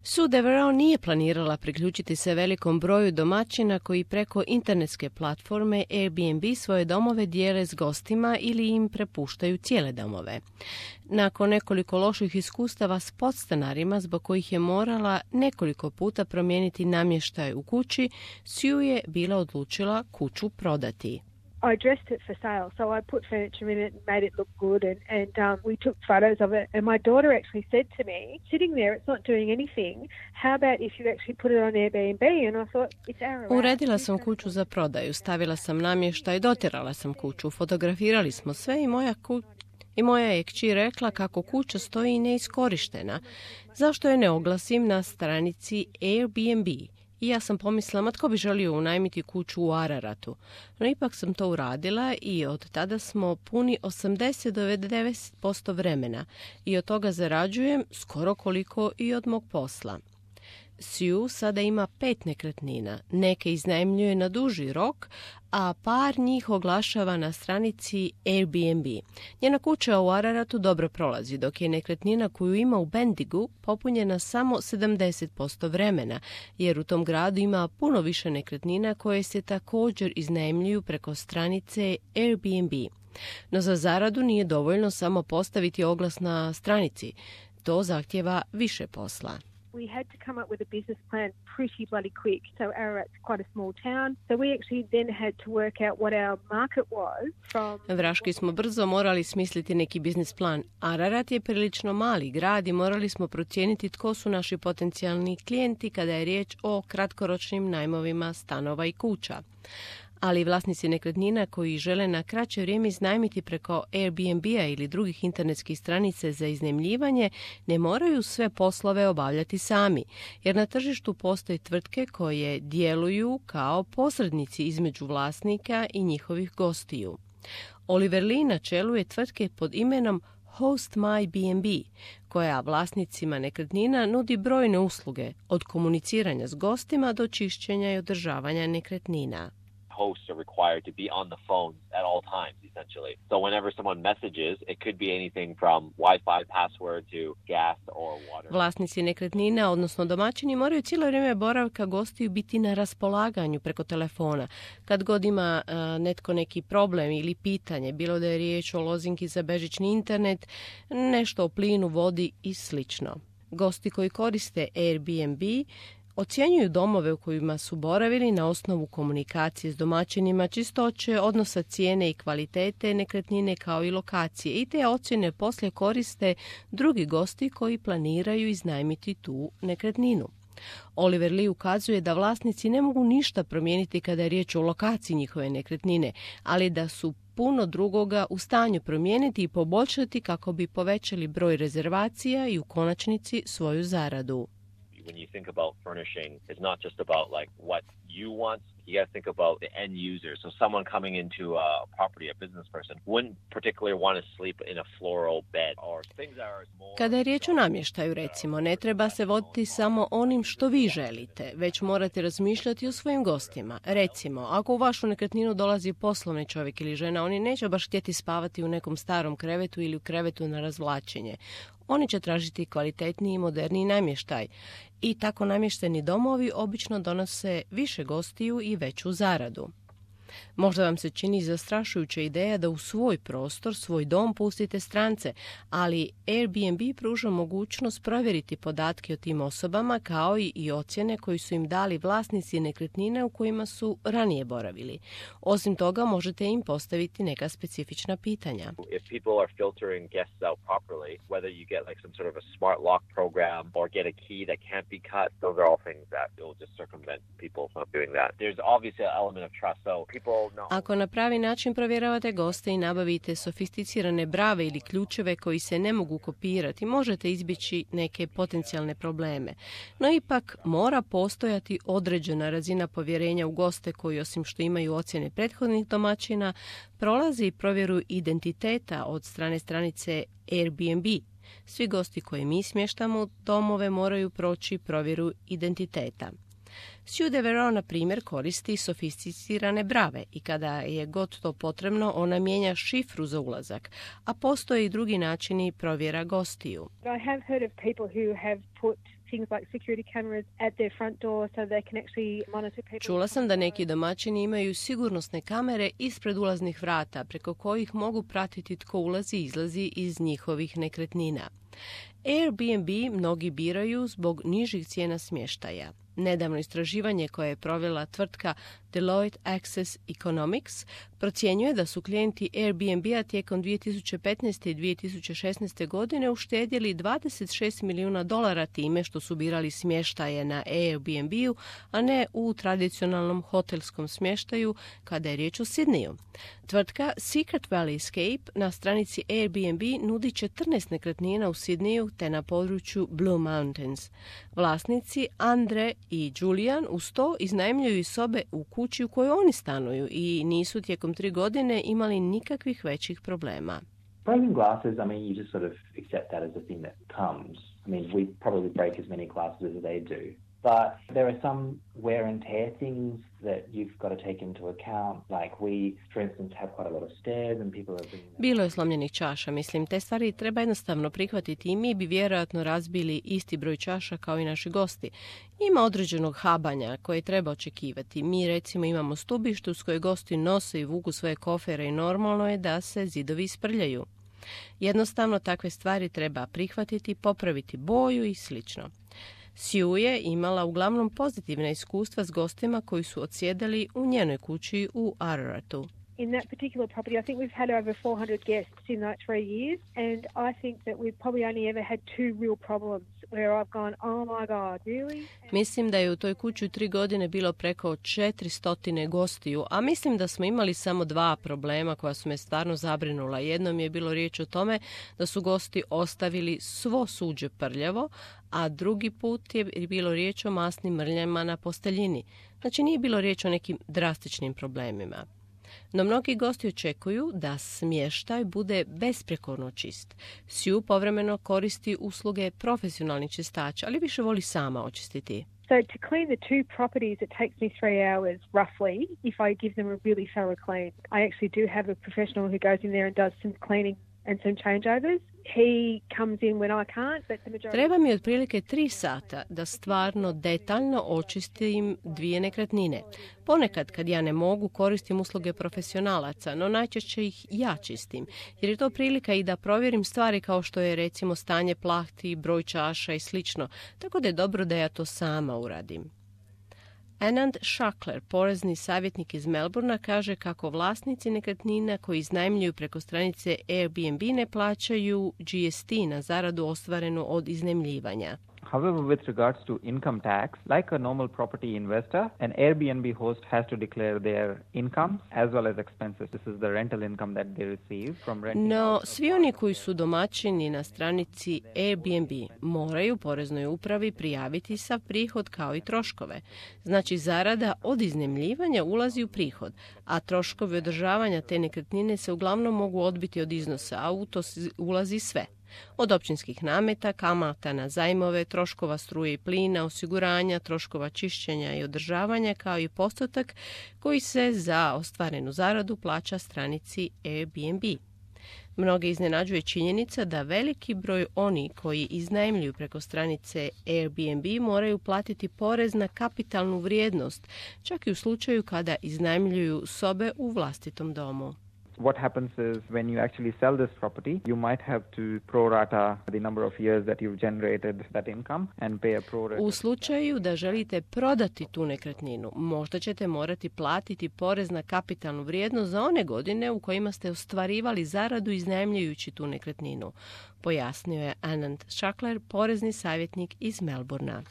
Sue Devereaux nije planirala priključiti se velikom broju domaćina koji preko internetske platforme Airbnb svoje domove dijele s gostima ili im prepuštaju cijele domove. Nakon nekoliko loših iskustava s podstanarima zbog kojih je morala nekoliko puta promijeniti namještaj u kući, Sue je bila odlučila kuću prodati. I dressed it for sale, so I put furniture in it and made it look good, and we took photos of it. And my daughter actually said to me, sitting there, it's not doing anything. How about if you actually put it on Airbnb? And I thought, it's our. Uredila sam kuću za prodaju, stavila sam namještaj, dotirala sam kuću, fotografirali smo sve i moja je kći rekla kako kuća stoji neiskorištena. Zašto je ne oglasim na stranici Airbnb? I ja sam pomislila, tko bi želio unajmiti kuću u Araratu. No ipak sam to uradila i od tada smo puni 80 do 90% vremena i od toga zarađujem skoro koliko i od mog posla. Sue sada ima 5 nekretnina, neke iznajmljuje na duži rok, a par njih oglašava na stranici Airbnb. Njena kuća u Araratu dobro prolazi, dok je nekretnina koju ima u Bendigu popunjena samo 70% vremena, jer u tom gradu ima puno više nekretnina koje se također iznajmljuju preko stranice Airbnb. No za zaradu nije dovoljno samo postaviti oglas na stranici. To zahtjeva više posla. We had to come up with a business plan pretty bloody quick. So Ararat's quite a small town. So we actually then had to work out what our market was from... Vraški smo brzo morali smisliti neki biznis plan. Ararat je prilično mali grad i morali smo procijeniti tko su naši potencijalni klijenti kada je riječ o kratkoročnim najmovima stanova i kuća. Ali vlasnici nekretnina koji žele na kraće vrijeme iznajmiti preko Airbnb-a ili drugih internetskih stranica za iznajmljivanje ne moraju sve poslove obavljati sami, jer na tržištu postoje tvrtke koje djeluju kao posrednici između vlasnika i njihovih gostiju. Oliver Lee na čelu je tvrtke pod imenom Host My B&B, koja vlasnicima nekretnina nudi brojne usluge, od komuniciranja s gostima do čišćenja i održavanja nekretnina. Hosts are required to be on the phone at all times, essentially. So whenever someone messages, it could be anything from Wi-Fi password to gas or water. Vlasnici nekretnina, odnosno domaćini, moraju cijelo vrijeme boravka gostiju biti na raspolaganju preko telefona. Kad god ima netko neki problem ili pitanje, bilo da je riječ o lozinki za bežični internet, nešto o plinu, vodi i slično. Gosti koji koriste Airbnb ocjenjuju domove u kojima su boravili na osnovu komunikacije s domaćinima, čistoće, odnosa cijene i kvalitete nekretnine kao i lokacije, i te ocjene poslije koriste drugi gosti koji planiraju iznajmiti tu nekretninu. Oliver Lee ukazuje da vlasnici ne mogu ništa promijeniti kada je riječ o lokaciji njihove nekretnine, ali da su puno drugoga u stanju promijeniti i poboljšati kako bi povećali broj rezervacija i u konačnici svoju zaradu. When you think about furnishing, it's not just about like what you want. You got to think about the end user. So someone coming into a property, a business person, wouldn't particularly want to sleep in a floral bed or things that are more... Kada je riječ o namještaju, recimo, ne treba se voditi samo onim što vi želite, već morate razmišljati o svojim gostima. Recimo, ako u vašu nekretninu dolazi poslovni čovjek ili žena, oni neće baš htjeti spavati u nekom starom krevetu ili u krevetu na razvlačenje. Oni će tražiti kvalitetniji i moderniji namještaj. I tako namješteni domovi obično donose više gostiju i veću zaradu. Možda vam se čini zastrašujuća ideja da u svoj prostor, svoj dom pustite strance, ali Airbnb pruža mogućnost provjeriti podatke o tim osobama kao i ocjene koji su im dali vlasnici nekretnine u kojima su ranije boravili. Osim toga, možete im postaviti neka specifična pitanja. If people are filtering guests out properly, whether you get like some sort of a smart lock program or get a key that can't be cut, those are all things that will just circumvent people from doing that. There's obviously an element of trust, so ako na pravi način provjeravate goste i nabavite sofisticirane brave ili ključeve koji se ne mogu kopirati, možete izbjeći neke potencijalne probleme. No ipak mora postojati određena razina povjerenja u goste koji, osim što imaju ocjene prethodnih domaćina, prolazi i provjeru identiteta od strane stranice Airbnb. Svi gosti koje mi smještamo u domove moraju proći provjeru identiteta. Sue Devereaux, na primjer, koristi sofisticirane brave i kada je god to potrebno, ona mijenja šifru za ulazak, a postoje i drugi načini provjera gostiju. I have heard of people who have put things like security cameras at their front door so they can actually monitor people. Čula sam da neki domaćini imaju sigurnosne kamere ispred ulaznih vrata preko kojih mogu pratiti tko ulazi i izlazi iz njihovih nekretnina. Airbnb mnogi biraju zbog nižih cijena smještaja. Nedavno istraživanje koje je provela tvrtka Deloitte Access Economics procjenjuje da su klijenti Airbnb-a tijekom 2015. i 2016. godine uštedjeli $26 milijuna time što su birali smještaje na Airbnb-u, a ne u tradicionalnom hotelskom smještaju kada je riječ o Sidneyu. Tvrtka Secret Valley Escape na stranici Airbnb nudi 14 nekretnina u Sidneyu te na području Blue Mountains. Vlasnici Andre i Julian uz to iznajmljuju i sobe u kući u kojoj oni stanuju i nisu tijekom 3 godine imali nikakvih većih problema. Breaking glasses, I mean, you just sort of accept that as a thing that comes. I mean, we probably break as many glasses as they do. But there are some wear and tear things that you've got to take into account. Like we, for instance, have quite a lot of stairs and people are bringing them. Bilo je slomljenih čaša, mislim, te stvari treba jednostavno prihvatiti i mi bi vjerojatno razbili isti broj čaša kao i naši gosti. Ima određenog habanja koje treba očekivati. Mi recimo imamo stubište uz koje gosti nose i vuku svoje kofere i normalno je da se zidovi isprljaju. Jednostavno takve stvari treba prihvatiti, popraviti boju i slično. Sue je imala uglavnom pozitivna iskustva s gostima koji su odsjedali u njenoj kući u Araratu. In that particular property, I think we've had over 400 guests in like 3 years, and I think that we've probably only ever had 2 real problems where I've gone, oh my God, really? Mislim da je u toj kući u 3 godine bilo preko 400 gostiju, a mislim da smo imali samo 2 problema koja su me stvarno zabrinula. Jednom je bilo riječ o tome da su gosti ostavili svo suđe prljavo, a drugi put je bilo riječ o masnim mrljama na posteljini. Znači nije bilo riječ o nekim drastičnim problemima. No mnogi gosti očekuju da smještaj bude besprekorno čist. Sue povremeno koristi usluge profesionalnih čistača, ali više voli sama očistiti. So to clean the 2 properties, it takes me 3 hours roughly if I give them a really thorough clean. I actually do have a professional who goes in there and does some cleaning and some changeovers. He comes in when I can't, but the majority... Treba mi otprilike 3 sata da stvarno detaljno očistim 2 nekretnine. Ponekad kad ja ne mogu koristim usluge profesionalaca, no najčešće ih ja čistim, jer je to prilika i da provjerim stvari kao što je recimo stanje plahti, broj čaša i slično, tako da je dobro da ja to sama uradim. Anand Shakler, porezni savjetnik iz Melbourna, kaže kako vlasnici nekretnina koji iznajmljuju preko stranice Airbnb ne plaćaju GST na zaradu ostvarenu od iznajmljivanja. However, with regards to income tax, like a normal property investor, an Airbnb host has to declare their income as well as expenses. This is the rental income that they receive from renting. No, svi oni koji su domaćini na stranici Airbnb moraju poreznoj upravi prijaviti sav prihod kao i troškove. Znači, zarada od iznajmljivanja ulazi u prihod, a troškovi održavanja te nekretnine se uglavnom mogu odbiti od iznosa, a u to ulazi sve. Od općinskih nameta, kamata na zajmove, troškova struje i plina, osiguranja, troškova čišćenja i održavanja, kao i postotak koji se za ostvarenu zaradu plaća stranici Airbnb. Mnoge iznenađuje činjenica da veliki broj oni koji iznajmljuju preko stranice Airbnb moraju platiti porez na kapitalnu vrijednost, čak i u slučaju kada iznajmljuju sobe u vlastitom domu. What happens is when you actually sell this property, you might have to prorata the number of years that you've generated that income and pay a prorata. U slučaju da želite prodati tu nekretninu, možda ćete morati platiti porez na kapitalnu vrijednost za one godine u kojima ste ostvarivali zaradu iznajmljujući tu nekretninu, pojasnio je Anand Shakler, porezni savjetnik iz Melbourna.